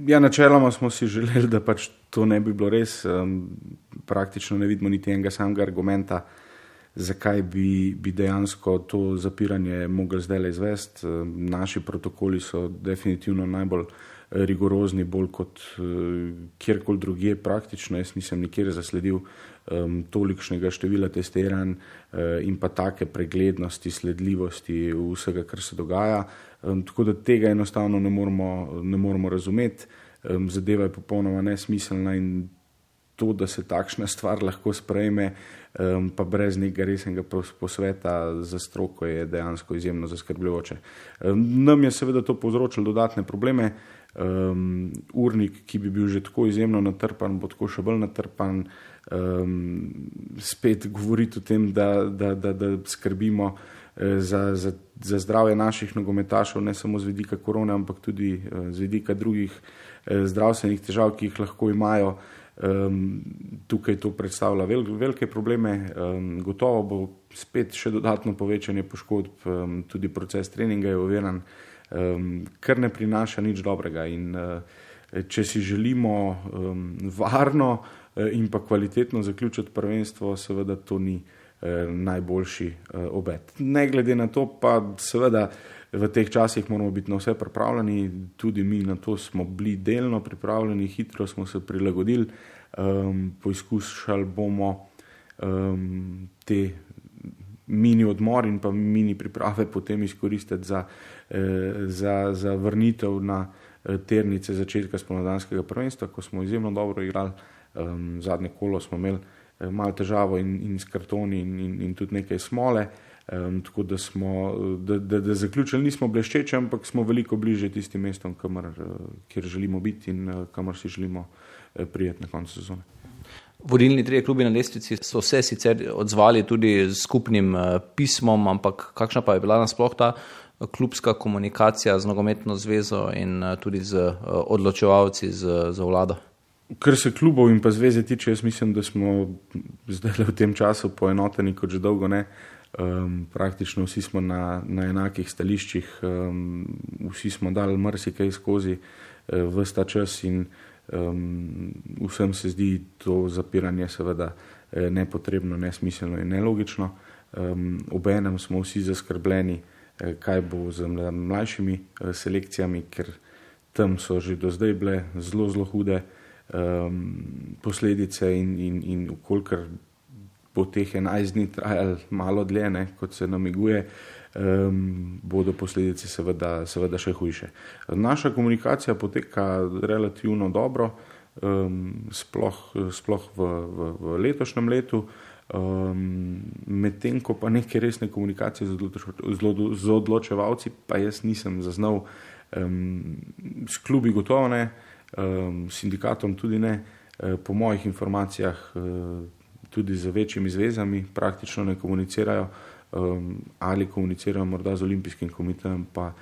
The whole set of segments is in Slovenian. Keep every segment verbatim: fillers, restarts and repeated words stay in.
Ja, načeloma smo si želeli, da pač to ne bi bilo res. Praktično ne vidimo niti enega samega argumenta, zakaj bi, bi dejansko to zapiranje mogli zdaj izvesti. Naši protokoli so definitivno najbolj rigorozni, bolj kot kjerkoli drugje praktično. Jaz nisem nikjer zasledil um, tolikšnega števila testiranj uh, in pa take preglednosti, sledljivosti vsega, kar se dogaja. Um, tako da tega enostavno ne moramo, ne moramo razumeti. Um, zadeva je popolnoma nesmiselna in to, da se takšna stvar lahko sprejme, um, pa brez nekega resnega posveta za stroko, je dejansko izjemno zaskrbljujoče. Um, nam je seveda to povzročilo dodatne probleme. Um, urnik, ki bi bil že tako izjemno natrpan, bo tako še bolj natrpan. Um, spet govoriti o tem, da, da, da, da skrbimo eh, za, za, za zdravje naših nogometašev, ne samo z vidika korone, ampak tudi eh, z vidika drugih eh, zdravstvenih težav, ki jih lahko imajo. Um, tukaj to predstavlja vel, velike probleme. Um, gotovo bo spet še dodatno povečanje poškodb, um, tudi proces treninga je oviran, um, kar ne prinaša nič dobrega. In uh, če si želimo um, varno uh, in pa kvalitetno zaključiti prvenstvo, seveda to ni uh, najboljši uh, obet. Ne glede na to pa seveda v teh časih moramo biti na vse pripravljeni, tudi mi na to smo bili delno pripravljeni, hitro smo se prilagodili, um, poizkušali bomo um, te mini odmor in pa mini priprave potem izkoristiti za, eh, za, za vrnitev na eh, ternice začetka spomladanskega prvenstva, ko smo izjemno dobro igrali. Um, zadnje kolo smo imeli eh, malo težavo in, in s kartoni in, in, in tudi nekaj smole. Um, tako da smo, da, da, da zaključili nismo bleščeči, ampak smo veliko bliže tistim mestom, kamor, kjer želimo biti in kamor si želimo prijeti na koncu sezone. Vodilni trije klubi na lestvici so se sicer odzvali tudi s skupnim pismom, ampak kakšna pa je bila nasploh ta klubska komunikacija z nogometno zvezo in tudi z odločevalci, z, z vlado? Kar se klubov in pa zveze tiče, jaz mislim, da smo zdaj v tem času poenoteni kot že dolgo ne. Um, praktično vsi smo na, na enakih stališčih, um, vsi smo dali marsikaj skozi uh, ves ta čas in um, vsem se zdi to zapiranje seveda uh, nepotrebno, nesmiselno in nelogično. Um, obenem smo vsi zaskrbljeni, uh, kaj bo z mlajšimi uh, selekcijami, ker tam so že do zdaj bile zelo, zelo hude um, posledice in, in, in ukolikor bo teh enajst dni trajali malo dlje, ne, kot se namiguje, um, bodo posledice seveda, seveda še hujše. Naša komunikacija poteka relativno dobro, um, sploh, sploh v, v, v letošnjem letu, um, medtem ko pa neke resne komunikacije z, odloč, z odločevalci pa jaz nisem zaznal, um, s klubi gotovo ne, um, sindikatom tudi ne, uh, po mojih informacijah uh, tudi z večjimi zvezami praktično ne komunicirajo, um, ali komunicirajo morda z olimpijskim komitejem, pa,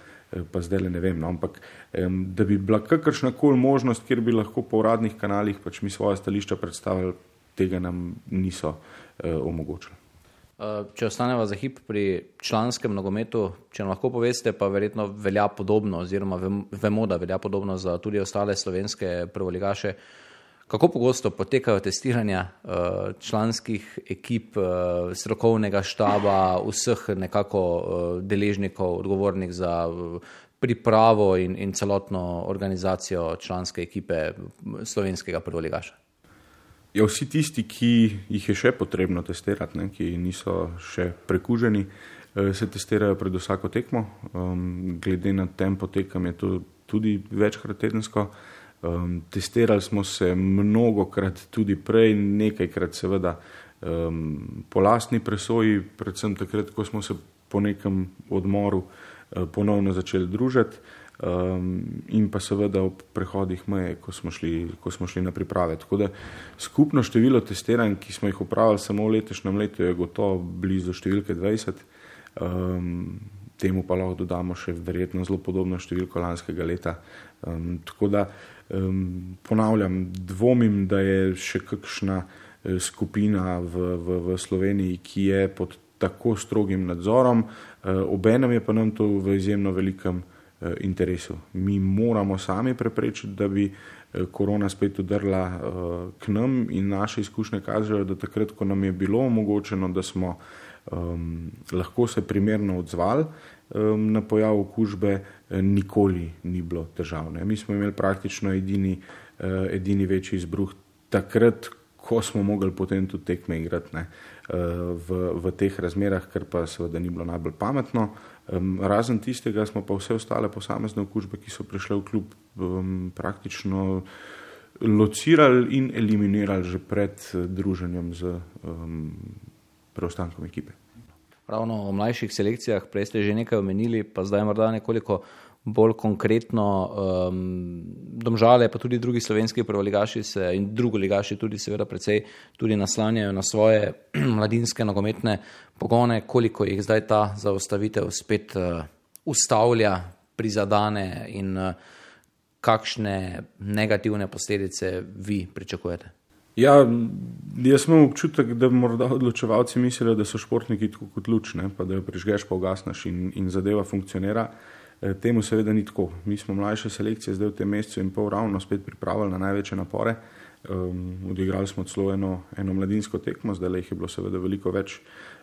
pa zdaj ne vem. No, ampak um, da bi bila kakršnakoli možnost, kjer bi lahko po uradnih kanalih pač mi svoje stališča predstavili, tega nam niso uh, omogočili. Če ostaneva za hip pri članskem nogometu, če nam lahko poveste, pa verjetno velja podobno, oziroma vemo, da velja podobno za tudi ostale slovenske prvoligaše. Kako pogosto potekajo testiranja članskih ekip, strokovnega štaba, vseh nekako deležnikov, odgovornih za pripravo in, in celotno organizacijo članske ekipe slovenskega prvoligaša? Ja, vsi tisti, ki jih je še potrebno testirati, ne, ki niso še prekuženi, se testirajo pred vsako tekmo. Glede na tempo tekem je to tudi večkrat tedensko. Um, testirali smo se mnogokrat tudi prej, nekajkrat seveda um, po lastni presoji, predvsem takrat, ko smo se po nekem odmoru uh, ponovno začeli družiti um, in pa seveda ob prehodih meje, ko smo šli, ko smo šli na priprave. Tako da skupno število testiranj, ki smo jih opravili samo v letošnjem letu, je gotovo blizu številke dvajset. Um, temu pa lahko dodamo še verjetno zelo podobno številko lanskega leta. Um, tako da Um, ponavljam, dvomim, da je še kakšna uh, skupina v, v, v Sloveniji, ki je pod tako strogim nadzorom, uh, obenem je pa nam to v izjemno velikem uh, interesu. Mi moramo sami preprečiti, da bi korona spet udrla k nam in naše izkušnje kažejo, da takrat, ko nam je bilo omogočeno, da smo um, lahko se primerno odzvali um, na pojav okužbe, nikoli ni bilo težav. Ne. Mi smo imeli praktično edini, uh, edini večji izbruh takrat, ko smo mogli potem tudi tekme igrati, ne, v, v teh razmerah, ker pa seveda ni bilo najbolj pametno. Um, razen tistega smo pa vse ostale posamezne okužbe, ki so prišle v klub, um, praktično locirali in eliminirali že pred druženjem z um, preostankom ekipe. Ravno o mlajših selekcijah, prej ste že nekaj omenili, pa zdaj morda nekoliko bolj konkretno, um, Domžale pa tudi drugi slovenski prvoligaši se in drugoligaši tudi seveda precej tudi naslanjajo na svoje mladinske nogometne pogone, koliko jih zdaj ta zaustavitev spet uh, ustavlja, prizadane in uh, kakšne negativne posledice vi pričakujete? Ja, jaz imam občutek, da morda odločevalci mislijo, da so športniki tako kot luč, ne, pa da jo prižgeš, pa ugasneš in, in zadeva funkcionira. Temu seveda ni tako. Mi smo mlajše selekcije zdaj v tem mesecu in pol ravno spet pripravili na največje napore. Um, odigrali smo celo eno, eno mladinsko tekmo, zdaj jih je bilo seveda veliko več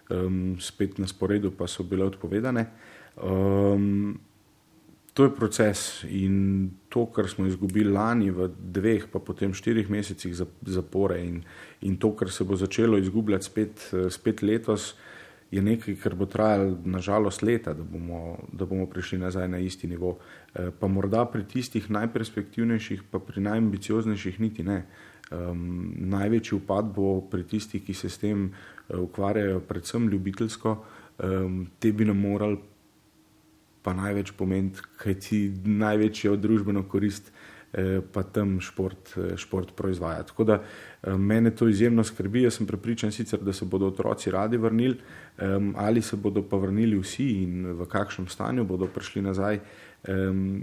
um, spet na sporedu, pa so bile odpovedane. Um, to je proces in to, kar smo izgubili lani v dveh, pa potem štirih mesecih zapore in, in to, kar se bo začelo izgubljati spet, spet letos, je nekaj, kar bo trajalo nažalost leta, da bomo, da bomo prišli nazaj na isti nivo. Pa morda pri tistih najperspektivnejših, pa pri najambicioznejših niti ne. Um, največji upad bo pri tistih, ki se s tem ukvarjajo predvsem ljubiteljsko, um, te bi nam morali pa največ pomeniti, kaj ti največjo družbeno korist pa tam šport, šport proizvaja. Tako da mene to izjemno skrbi, jaz sem prepričan sicer, da se bodo otroci radi vrnili, ali se bodo pa vrnili vsi in v kakšnem stanju bodo prišli nazaj,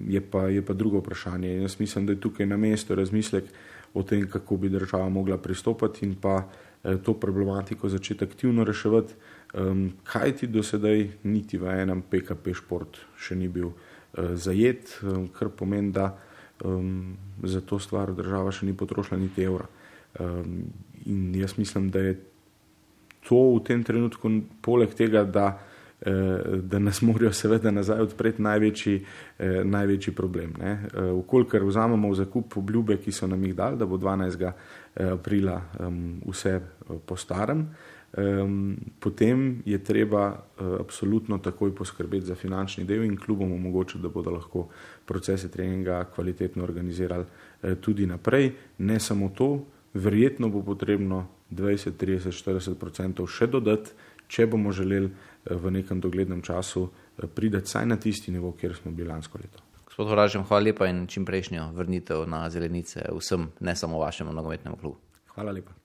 je pa, je pa drugo vprašanje. Jaz mislim, da je tukaj na mestu razmislek o tem, kako bi država mogla pristopati in pa to problematiko začeti aktivno reševati, kaj ti do sedaj niti v enem P K P šport še ni bil zajet, kar pomeni, da Um, za to stvar država še ni potrošila niti evra. Um, in jaz mislim, da je to v tem trenutku, poleg tega, da, eh, da nas morajo seveda nazaj odpreti največji, eh, največji problem. Ne? Eh, Vkolikor vzamemo v zakup obljube, ki so nam jih dali, da bo dvanajstega aprila um, vse po starem, Um, potem je treba uh, absolutno takoj poskrbeti za finančni del in klubom omogočiti, da bodo lahko procese treninga kvalitetno organizirali uh, tudi naprej. Ne samo to, verjetno bo potrebno dvajset, trideset, štirideset procentov še dodati, če bomo želeli uh, v nekem doglednem času uh, priti saj na tisti nivo, kjer smo bili lansko leto. Gospod Horažem, hvala lepa in čim prejšnjo vrnitev na zelenice vsem, ne samo vašemu nogometnemu klubu. Hvala lepa.